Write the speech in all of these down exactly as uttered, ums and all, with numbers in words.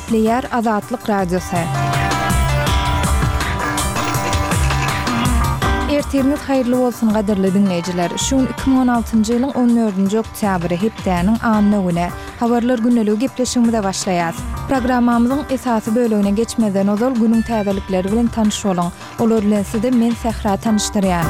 Gepleýär Azatlyk Radiosy. Ertiriňiz haýyrly bolsun gadyrly diňleýjiler. Şu gün iki müň on altynjy ýylyň on dördünji oktýabry, hepdäniň anna güni. Habarlar gündeligi gepleşigimize başlaýas. Programmamyzyň esasy bölegine geçmezden ozal günüň täzelikleri bilen tanyş boluň. Olar bilen sizi men Sähra tanyşdyrýan.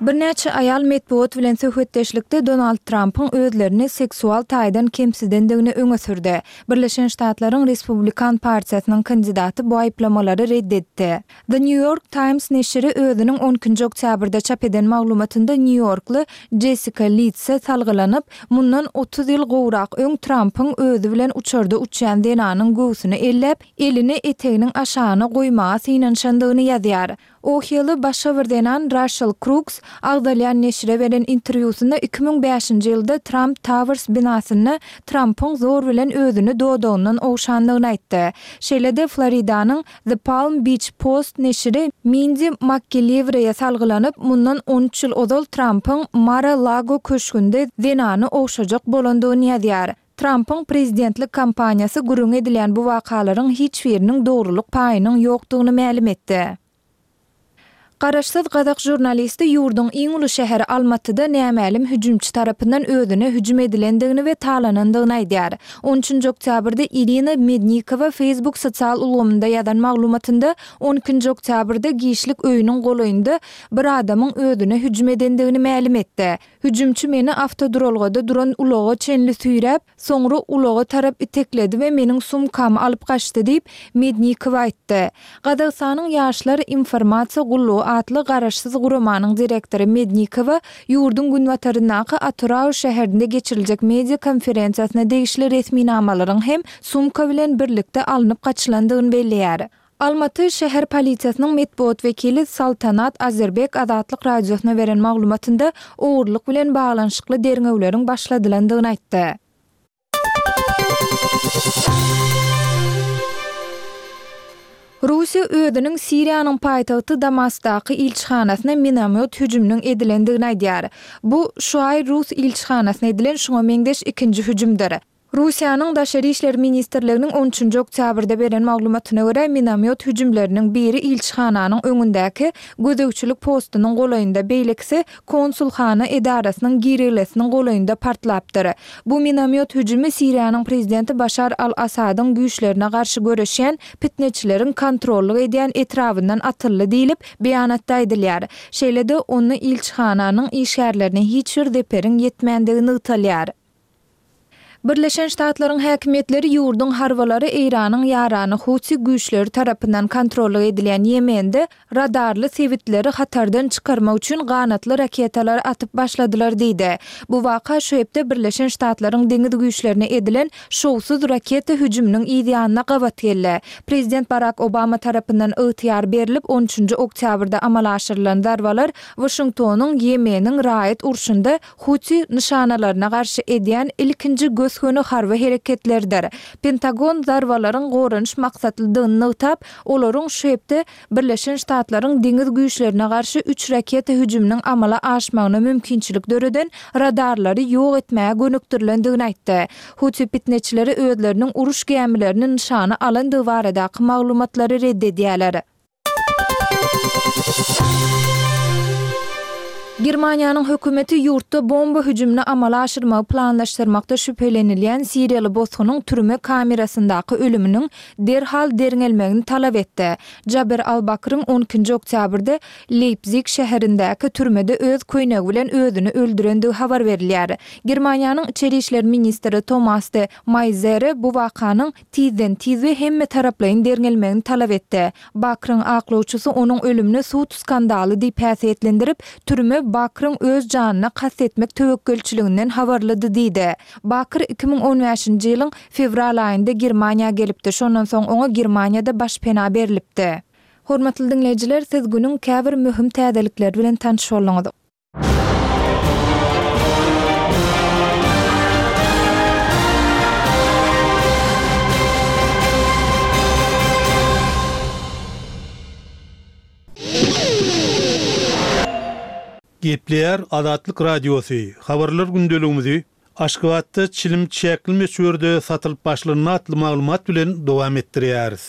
Birnäçe aýal metbugat bilen söhbetdeşlikde Donald Trampyň özlerini seksual taýdan kemsidendigini öňe sürdi. Birleşen Ştatlaryň Respublikan partiýasynyň kandidaty bu aýyplamalary red etdi. The New York Times neşiri özüniň on ikinji oktýabrda çap eden maglumatynda nýu-ýorkly Jessika Litse salgylanyp, mundan otuz ýyl gowrak öň Trampyň özi bilen uçarda uçýan zenanyň göwsüni elläp, elini eteginiň aşagyna goýmaga synanyşandygyny ýazýar. Ohiýaly başga bir zenan Raşel Kruks agzalýan neşire beren interwýusynda iki müň bäşinji ýylda Tramp Towers binasynda Trampyň zor bilen özüni dodagyndan ogşandygyny aýtdy. Şeýle-de Floridanyň The Palm Beach Post neşiri Mindi MakGilliwreýe salgylanyp, mundan on üç ýyl ozal Trampyň Mar-a-Lago köşgünde zenany ogşajak bolandygyny ýazýar. Trampyň prezidentlik kampaniýasy gürrüň edilýän bu wakalaryň hiç biriniň dogrulyk paýynyň ýokdugyny mälim etdi. Garaşsyz gazak žurnalisti ýurduň iň uly şäheri Almatyda nämälim hüjümçi tarapyndan özüne hüjüm edilendigini we talanandygyny aýdýar. On üçünji oktýabrda Irina Mednikowa Facebook sosial ulgamynda ýazan maglumatynda on ikinji oktýabrda giçlik öýüniň golaýynda bir adamyň özüne hüjüm edendigini mälim etdi. Hüjümçi meni awtoduralgada duran ulaga çenli süýräp, soňra ulaga tarap itekledi we meniň sumkamy alyp gaçdy diýip, Mednikowa aýtdy. Gazagystanyň Ýaşlar informasiýa gullugy atly garaşsyz guramanyň direktory Mednikowa ýurduň günbataryndaky Atyrau şäherinde geçiriljek media konferensiýasyna degişli resminamalaryň hem sumka bilen birlikde alnyp gaçylandygyny belleýär. Almaty şäher polisiýasynyň metbugat wekili Saltanat Azerbek Azatlyk Radiosyna beren maglumatynda ogurlyk bilen baglanyşykly derňewleriň başladylandygyny aýtdy. Russiýa özüniň Siriýanyň paýtagty Damaskdaky ilçihanasyna minomýot hüjüminiň edilendigini aýdýar. Bu şu aý rus ilçihanasyna edilen şuňa meňzeş ikinji hüjümdir. Russiýanyň Daşary işler ministrliginiň on üçünji oktýabrda beren maglumatyna görä, minomýot hüjümleriniň biri ilçihananyň öňündäki gözegçilik postunyň golaýynda, beýlekisi konsulhana edarasynyň girelgesiniň golaýynda partlapdyr. Bu minomýot hüjümi Siriýanyň prezidenti Başar al-Assadyň güýçlerine garşy göreşýän pitneçileriň kontrollyk edýän etrabyndan atyldy diýlip, beýanatda aýdylýar. Şeýle-de, onda ilçihananyň işgärlerine hiç bir zeperiň ýetmändigi nygtalýar. Birleşen Ştatlaryň häkimiýetleri ýurduň harbylary Eýranyň ýarany Huti güýçleri tarapyndan kontrollyk edilýän Ýemende radarly sebitleri hatardan çykarmak üçin ganatly raketalary atyp başladylar diýdi. Bu waka şu hepde Birleşen Ştatlaryň deňiz güýçlerine edilen şowsuz raketa hüjüminiň yz ýanyna gabat geldi. Prezident Barak Obama tarapyndan ygtyýar berlip on üçünji oktýabrda amala aşyrylan zarbalar Waşingtonyň Ýemeniň raýat urşunda Huti nyşanalaryna garşy edýän ilkinji gös-göni harby hereketleridir. Pentagon zarbalaryň goranyş maksatlydygyny nygtap, olaryň şu hepde Birleşen Ştatlaryň deňiz güýçlerine garşy üç raketa hüjüminiň amala aşmagyna mümkinçilik döreden radarlary ýok etmäge gönükdirilendigini aýtdy. Huti pitneçileri özleriniň uruş gämilerini nyşana alandygy baradaky maglumatlary red edýärler. Germaniýanyň hökümeti ýurtda bomba hüjümini amala aşyrmagy planlaşdyrmakda şübhelenilýän siriýaly bosgunyň türme kamerasyndaky ölüminiň derhal derňelmegini talap etdi. Jaber al-Bakryň on ikinji oktýabrda Leýpzig şäherindäki türmede öz köýnegi bilen özüni öldürendigi habar berilýär. Germaniýanyň içeri işler ministri Tomas de Maýzere bu wakanyň tizden-tiz we hemmetaraplaýyn derňelmegini talap etdi. Bakryň aklawçysy onuň ölümini sud skandaly diýip häsiýetlendirip, türme Bakryň öz janyna kast etmek töwekgelçiliginden habarlydy diýdi. Bakr iki müň on bäşinji ýylyň fewral aýynda Germaniýa gelipdi, şondan soň oňa Germaniýada başpena berlipdi. Hormatly diňleýjiler, siz günüň käbir möhüm täzelikleri bilen tanyş bolduňyz. Gepleýär Azatlyk Radiosy, habarlar gündeligimizi Aşgabatda çilim çäkli möçberde satylyp başlandy atly maglumat bilen dowam etdirýäris.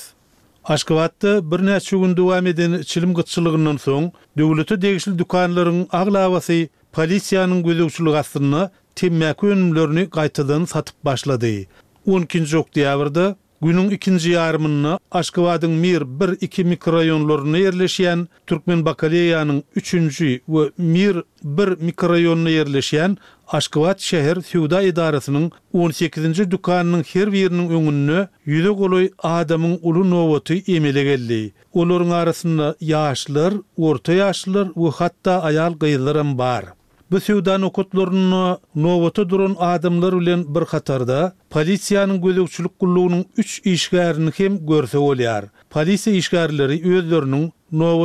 Aşgabatda birnäçe gün dowam eden çilim gytçylygyndan soň, döwlete degişli dükanlaryň aglabasy polisiýanyň gözegçiligi astynda temmäki önümlerini gaýtadan satyp başlady. On ikinji oktýabrda Günüň ikinji ýarymynda Aşgabadyň Mir bir, iki mikroraýonlarynda ýerleşýän Türkmenbakaleýanyň üçünji we Mir bir mikroraýonynda ýerleşýän Aşgabat şäher söwda edarasynyň on sekizinji dükanynyň her biriniň öňünde ýüze golaý adamyň uly nobaty emele geldi. Olaryň arasynda ýaşlar, orta ýaşlylar we hatda aýal-gyzlaram bar. Bu söwda nokatlarynda nobata duran adamlar bilen bir hatarda, polisiýanyň gözegçilik gullugynyň üç işgärini hem görse bolýar. Polisiýa işgärleri özleriniň nobata